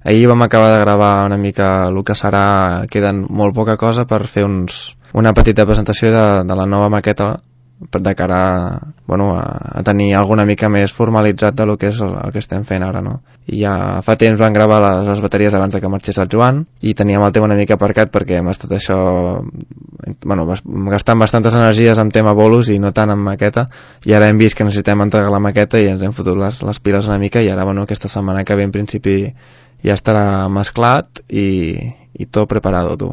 Ahir vam acabar de gravar una mica el que serà, queden molt poca cosa per fer una petita presentació de la nova maqueta de cara a tenir alguna mica més formalitzat de lo que és el que estem fent ara, no? I ja fa temps van gravar les bateries abans de que marxés el Joan i teníem el tema una mica aparcat perquè hem estat gastant bastantes energies en tema bolos i no tant en maqueta, i ara hem vist que necessitem entregar la maqueta i ens hem fotut les piles una mica, i ara aquesta setmana que ve en principi ja estarà mesclat i tot preparado, tu.